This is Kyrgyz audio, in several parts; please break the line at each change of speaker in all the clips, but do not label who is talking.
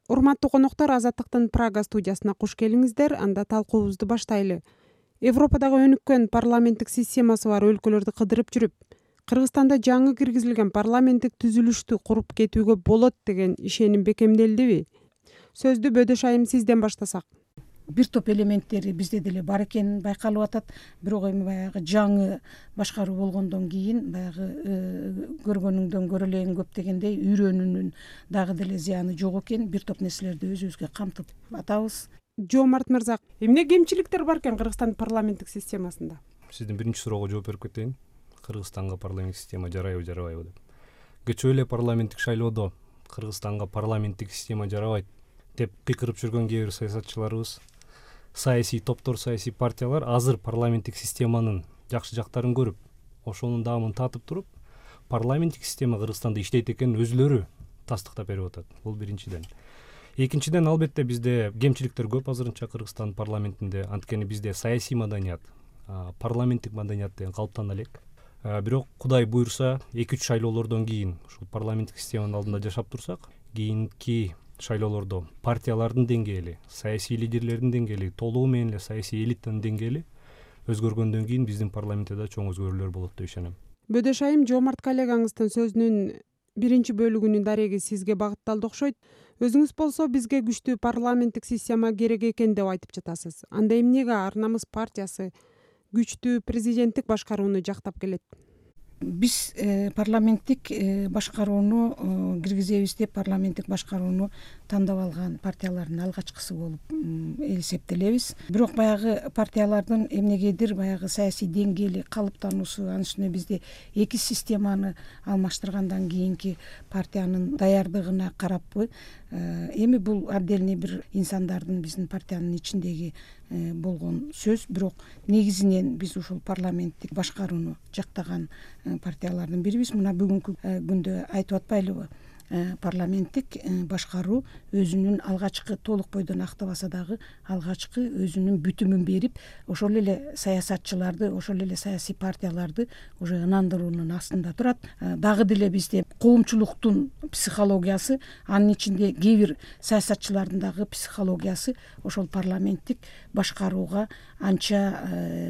Урматтуу коноктор, Азаттыктын Прага студиясына куш келиңиздер. Анда талкуубузду баштайлы. Европадагы өнүккөн парламенттик системасы бар өлкөлөрдү кыдырып жүрүп, Кыргызстанда жаңы киргизилген парламенттик түзүлүштү куруп кетүүгө болот деген ишеним бекемделдиби? Сөздү Бөдөш айым сизден баштасак.
Бир топ элементтери бизде деле бар экени байкалып атат. Бирок эми баягы жаңы башкаруу болгондон кийин баягы көргөнүңдөн көрө элегиң көп дегендей үйрөнүүнүн дагы деле зыяны жок экен. Бир топ нерселерди өзүбүзгө камтып атабыз.
Жоомарт мырза, эмне кемчиликтер бар экен Кыргызстандын парламенттик системасында?
Сиздин биринчи суроого жооп берип кетейин. Кыргызстанга парламенттик система жарайбы, жарабайбы деп. Кечээ эле парламенттик шайлоодо Кыргызстанга парламенттик система жарабайт деп кыйкырып жүргөн кээ бир саясатчыларыбыз, саясий топтор, саясий партиялар азыр парламенттик системанын жакшы жактарын көрүп, ошонун даамын татып туруп, парламенттик система Кыргызстанда иштейт экенин өзүлөрү тастыктап берип атат. Бул биринчиден. Экинчиден, албетте бизде кемчиликтер көп азырынча Кыргызстан парламентинде. Анткени бизде саясий маданият, парламенттик маданият деген калыптана элек. Бирок Кудай буйрса 2-3 шайлоолордон кийин ушул парламенттик системанын алдында жашап турсак, кийинки шайлоолордо партиялардын деңгээли, саясий лидерлердин деңгээли, толугу менен эле саясий элитанын деңгээли өзгөргөндөн кийин биздин парламентте да чоң өзгөрүүлөр болот деп ишенем.
Бөдөш айым, Жоомарт коллегаңыздын сөзүнүн биринчи бөлүгүнүн дареги сизге багытталды окшойт. Өзүңүз болсо бизге күчтүү парламенттик система керек экен деп айтып жатасыз. Анда эмнеге Ар намыс партиясы күчтүү президенттик башкарууну жактап келет?
Биз парламенттик башкарууну киргизебиз деп парламенттик башкарууну тандап алган партиялардын алгачкысы болуп эсептелебиз. Бирок баягы партиялардын эмнегедир баягы саясий деңгээли, калыптануусу, анын үстүнө бизде эки системаны алмаштыргандан кийинки партиянын даярдыгына караппы, эми бул отдельный бир инсандардын биздин партиянын ичиндеги болгон сөз. Бирок негизинен биз ушул парламенттик башкарууну жактаган партиялардын бирибиз. Мына бүгүнкү күндө айтып атпайлыбы? Парламенттик башкаруу өзүнүн алгачкы толук бойдон актабаса дагы алгачкы өзүнүн бүтүмүн берип, ошол эле саясатчыларды, ошол эле саясий партияларды уже ынандыруунун астында турат. Дагы деле бизде коомчулуктун психологиясы, анын ичинде кээ бир саясатчылардын дагы психологиясы ошол парламенттик башкарууга анча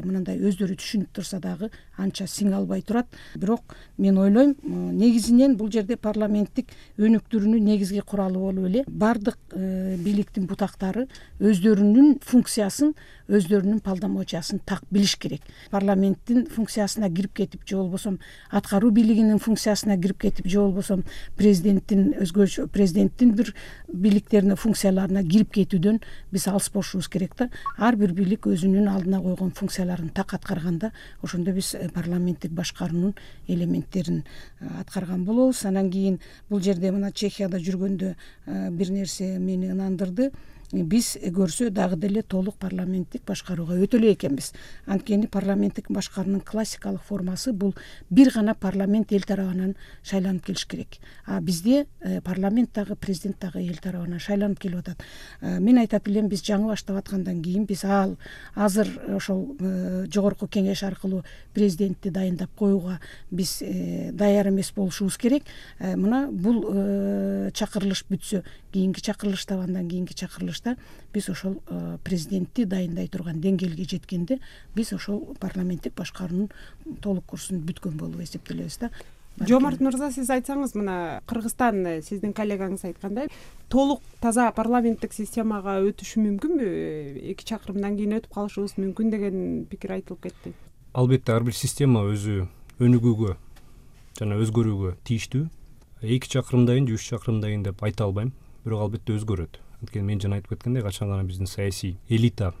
мындай өздөрү түшүнүп турса дагы анча сиңе албай турат. Бирок мен ойлойм, негизинен бул жерде парламенттик өнүктүрүүнүн негизги куралы болуп эле бардык бийликтин бутактары өздөрүнүн функциясын, өздөрүнүн полномочиясын так билиш керек. Парламенттин функциясына кирип кетип, же болбосо аткаруу бийлигинин функциясына кирип кетип, же болбосо президенттин бир бийликтерине, функцияларына кирип кетүүдөн биз алыс болушубуз керек да. Ар бир бийлик өзүнүн алдына койгон функцияларын так аткарганда, ошондо биз парламенттик башкаруунун элементтерин аткарган болобуз. Анан кийин бул жерде мына Чехияда жүргөндө бир нерсе мени ынандырды. Биз көрсө дагы деле толук парламенттик башкарууга өтө эле экенбиз. Анткени парламенттик башкаруунун классикалык формасы бул бир гана парламент эл тарабынан шайланып келиш керек. А бизде парламент дагы, президент дагы эл тарабынан шайланып келип атат. Мен айтат элем, биз жаңы баштап аткандан кийин биз азыр ошол жогорку кеңеш аркылуу президентти дайындап коюуга биз даяр эмес болушубуз керек. Мына бул чакырылыш бүтсө, кийинки чакырылышта, андан кийинки чакырылышта биз ошол президентти дайындай турган деңгээлге жеткенде биз ошол парламенттик башкаруунун толук курсун бүткөн болуп эсептелебиз да.
Жоомарт мырза, сиз айтсаңыз, мына Кыргызстан сиздин коллегаңыз айткандай, толук таза парламенттик системага өтүшү мүмкүнбү? 2 чакырымдан кийин өтүп калышыбыз мүмкүн деген пикир айтылып кетти.
Албетте ар бир система өзү өнүгүүгө жана өзгөрүүгө тийиштүү. 2 чакырымдан кийин, 3 чакырымдан кийин деп айта албайм, бирок албетте өзгөрөт. Анткени мен жана айтып кеткендей, качан гана биздин саясий элита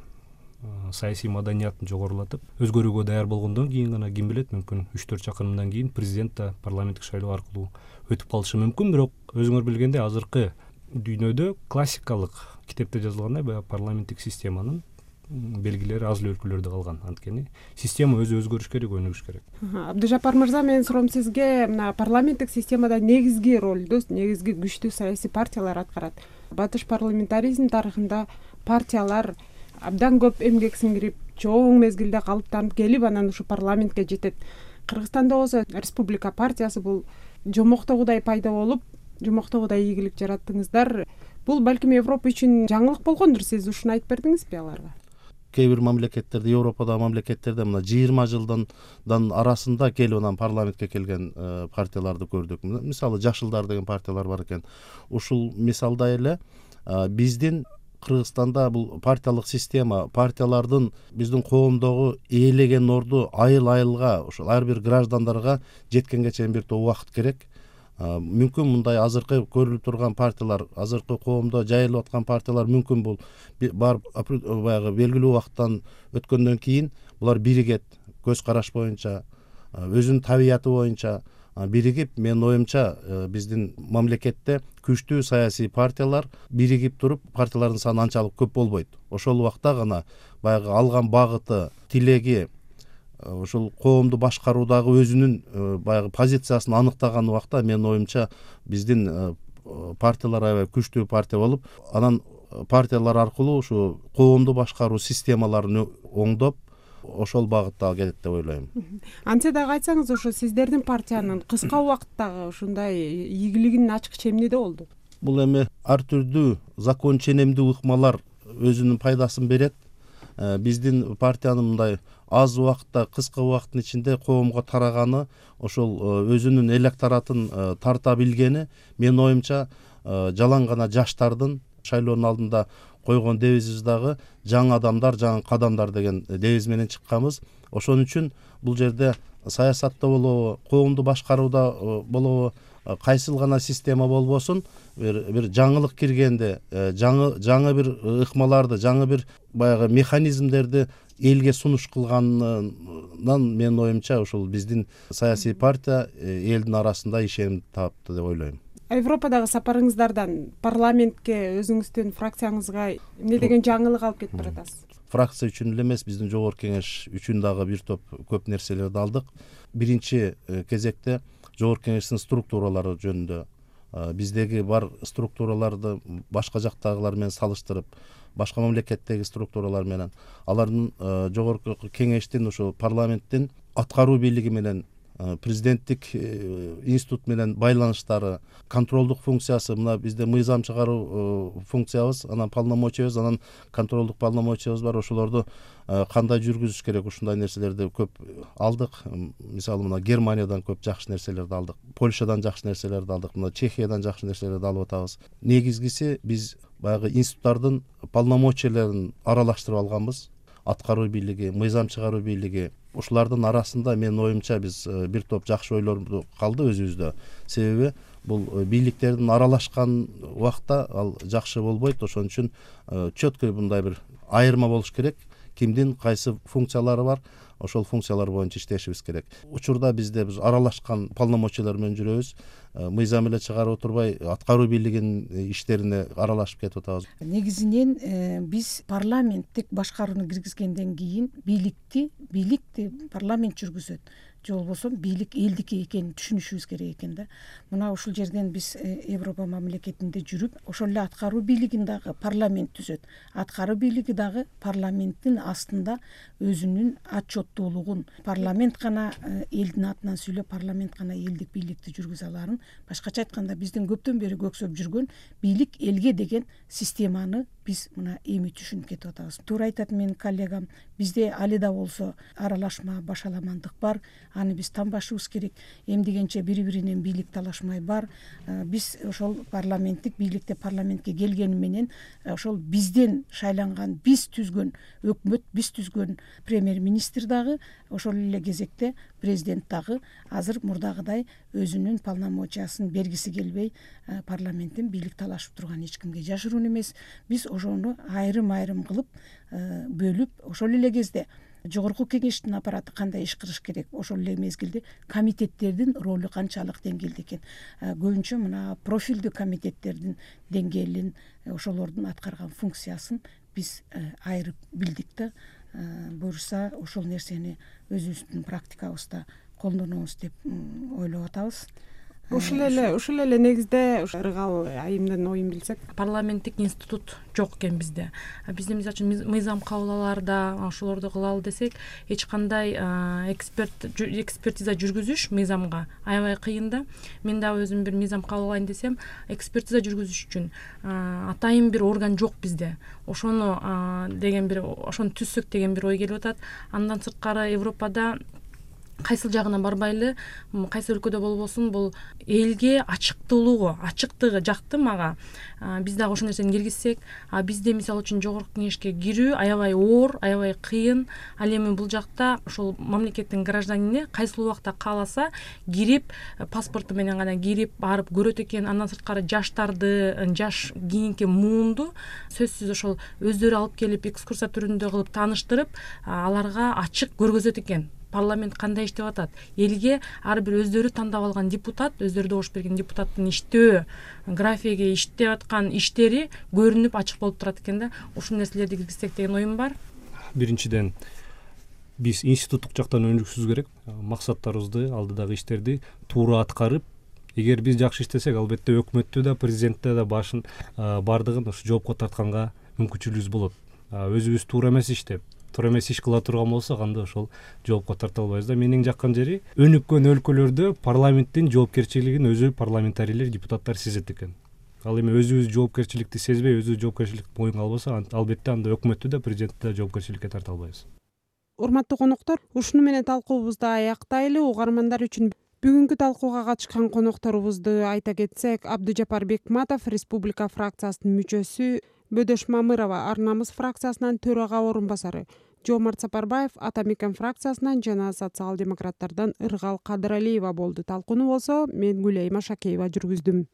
саясий маданиятын жогорулатып өзгөрүүгө даяр болгондон кийин гана ким билет, мүмкүн 3-4 чакырымдан кийин президент да парламенттик шайлоо аркылуу өтүп калышы мүмкүн. Бирок өзүңөр билгендей, азыркы дүйнөдө классикалык китепте жазылгандай баягы парламенттик системанын белгилери аз эле өлкөлөрдө калган. Анткени система өзү өзгөрүш керек, өнүгүш керек.
Абдыжапар мырза, менин суроом сизге, мына парламенттик системада негизги ролду, негизги күчтүү саясий партиялар аткарат. Батыш парламентаризм тарыхында партиялар абдан көп эмгек сиңирип, чоң мезгилде калыптанып келип, анан ушу парламентке жетет. Кыргызстанда болсо республика партиясы бул жомоктогудай пайда болуп, жомоктогудай ийгилик жараттыңыздар. Бул балким Европа үчүн жаңылык болгондур. Сиз ушуну айтып бердиңизби аларга?
Кээ бир мамлекеттерде, Европадагы мамлекеттерде мына 20 жылдан арасында келип анан парламентке келген партияларды көрдүк. Мисалы Жашылдар деген партиялар бар экен. Ушул мисалда эле биздин Кыргызстанда бул партиялык система, партиялардын биздин коомдогу ээлеген орду айыл-айылга, ошол ар бир граждандарга жеткенге чейин бир топ убакыт керек. Мүмкүн мындай азыркы көрүлүп турган партиялар, азыркы коомдо жайылып аткан партиялар мүмкүн бул барып баягы белгилүү убакыттан өткөндөн кийин булар биригет, көз караш боюнча, өзүнүн табияты боюнча биригип, менин оюмча биздин мамлекетте күчтүү саясий партиялар биригип туруп, партиялардын саны анчалык көп болбойт. Ошол убакта гана баягы алган багыты, тилеги, ошол коомду башкаруудагы өзүнүн баягы позициясын аныктаган убакта менин оюмча биздин партиялар аябай күчтүү партия болуп, анан партиялар аркылуу ушу коомду башкаруу системаларын оңдоп, ошол багытта кетет деп ойлойм.
Антсе дагы айтсаңыз, ошо сиздердин партиянын кыска убакыттагы ушундай ийгилигинин ачкычы эмнеде болду?
Бул эми ар түрдүү закон ченемдүү ыкмалар өзүнүн пайдасын берет. Биздин партиянын мындай аз убакытта, кыска убакыттын ичинде коомго тараганы, ошол өзүнүн электоратын тарта билгени менин оюмча жалаң гана жаштардын шайлоонун алдында койгон девизибиз дагы жаңы адамдар, жаңы кадамдар деген девиз менен чыкканбыз. Ошон үчүн бул жерде саясатта болобу, коомду башкарууда болобу, кайсыл гана система болбосун, бир жаңылык киргенде, жаңы бир ыкмаларды, жаңы бир баягы механизмдерди элге сунуш кылганынан менин оюмча ушул биздин саясий партия элдин арасында ишеним тапты деп ойлойм.
Европадагы сапарыңыздардан парламентке, өзүңүздүн фракцияңызга эмне деген жаңылык алып кетип баратасыз?
Фракция үчүн эле эмес, биздин жогорку кеңеш үчүн дагы бир топ көп нерселерди алдык. Биринчи кезекте жогорку кеңештин структуралары жөнүндө биздеги бар структураларды башка жактагылар менен салыштырып, башка мамлекеттеги структуралар менен алардын жогорку кеңештин, ошо парламенттин аткаруу бийлиги менен, президенттик институт менен байланыштары, контролдук функциясы, мына бизде мыйзам чыгаруу функциябыз, анан полномочиябыз, анан контролдук полномочиябыз бар. Ошолорду кандай жүргүзүш керек, ушундай нерселерди көп алдык. Мисалы мына Германиядан көп жакшы нерселерди алдык, Польшадан жакшы нерселерди алдык, мына Чехиядан жакшы нерселерди алып атабыз. Негизгиси биз баягы институттардын полномочияларын аралаштырып алганбыз. Аткаруу бийлиги, мыйзам чыгаруу бийлиги, ушулардын арасында менин оюмча биз бир топ жакшы ойлорду калды өзүбүздө. Себеби бул бийликтердин аралашкан убакта ал жакшы болбойт. Ошон үчүн четкий мындай бир айырма болуш керек. Кимдин кайсы функциялары бар, ошол функциялар боюнча иштешибиз керек. Учурда биз аралашкан полномочиялар менен жүрөбүз. Мыйзам эле чыгарып отурбай, аткаруу бийлигинин иштерине аралашып кетип атабыз.
Негизинен биз парламенттик башкарууну киргизгенден кийин бийликти парламент жүргүзөт. Же болбосо бийлик элдики экенин түшүнүшүбүз керек экен да. Мына ушул жерден биз Европа мамлекетинде жүрүп, ошол эле аткаруу бийлигин дагы парламент түзөт. Аткаруу бийлиги дагы парламенттин астында өзүнүн отчеттуулугун, парламент гана элдин атынан сүйлөп, парламент гана элдик бийликти жүргүзө аларын, башкача айтканда биздин көптөн бери көксөп жүргөн бийлик элге деген системаны биз мына эми түшүнүп кетип атабыз. Туура айтат менин коллегам, бизде али да болсо аралашма, башаламандык бар. Аны биз танбашыбыз керек. Эмдегенче бири-биринен бийлик талашмай бар. Биз ошол парламенттик бийликте парламентке келгени менен ошол бизден шайланган, биз түзгөн өкмөт, биз түзгөн премьер-министр дагы, ошол эле кезекте президент дагы азыр мурдагыдай өзүнүн полномочиясын бергиси келбей парламенттен бийлик талашып турган эч кимге жашыруун эмес. Биз ошону айрым-айрым кылып бөлүп, ошол эле кезде жогорку кеңештин аппараты кандай иш кылыш керек, ошол эле мезгилде комитеттердин ролу канчалык деңгээлде экен. Көбүнчө мына профилдүү комитеттердин деңгээлин, ошолордун аткарган функциясын биз айырып билдик да. Буюрса ошол нерсени өзүбүздүн практикабызда колдонобуз деп ойлоп атабыз.
ушул эле негизде ыргал айымдын оюн билсек.
Парламенттик институт жок экен бизде. Бизде мисалы үчүн мыйзам кабыл алаарда ошолорду кылалы десек, эч кандай экспертиза жүргүзүш мыйзамга аябай кыйын да. Мен дагы өзүм бир мыйзам кабыл алайын десем, экспертиза жүргүзүш үчүн атайын бир орган жок бизде. Ошону түзсөк деген бир ой келип атат. Андан сырткары Европада кайсыл жагына барбайлы, кайсы өлкөдө болбосун, бул элге ачыктыгы жакты мага. Биз дагы ошол нерсени киргизсек, бизде мисалы үчүн жогорку кеңешке кирүү аябай оор, аябай кыйын. Ал эми бул жакта ошол мамлекеттин гражданине кайсыл убакта кааласа кирип, паспорту менен гана кирип барып көрөт экен. Андан сырткары жаш кийинки муунду сөзсүз ошол өздөрү алып келип экскурсия түрүндө кылып тааныштырып, аларга ачык көргөзөт экен. Парламент кандай иштеп атат, элге ар бир өздөрү тандап алган депутат, өздөрү добуш берген депутаттын иштөө графиги, иштеп аткан иштери көрүнүп ачык болуп турат экен да. Ушул нерселерди киргизсек деген оюм бар.
Биринчиден, биз институттук жактан өнүгүшүбүз керек. Максаттарыбызды, алдыдагы иштерди туура аткарып, эгер биз жакшы иштесек, албетте өкмөттү да, президентти да бардыгын ушу жоопко тартканга мүмкүнчүлүгүбүз болот. Өзүбүз туура эмес иш кыла турган болсок, анда ошол жоопко тарта албайбыз да. Менин жаккан жери, өнүккөн өлкөлөрдө парламенттин жоопкерчилигин өзү парламентарийлер, депутаттар сезет экен. Ал эми өзүбүз жоопкерчиликти сезбей, өзүбүз жоопкерчиликти моюнга албасак, албетте анда өкмөттү да, президентти да жоопкерчиликке тарта албайбыз.
Урматтуу коноктор, ушуну менен талкуубузду аяктайлы. Угармандар үчүн бүгүнкү талкууга катышкан конокторубузду айта кетсек, Абдыжапар Бекматов, Республика фракциясынын мүчөсү, Бөдөш Мамырова, Ар намыс фракциясынан төрага орун басары, Жоомарт Сапарбаев, Ата Мекен фракциясынан жана социал-демократтардан Ыргал Кадыралиева болду. Талкууну болсо мен Гүлайым Ашакеева жүргүздүм.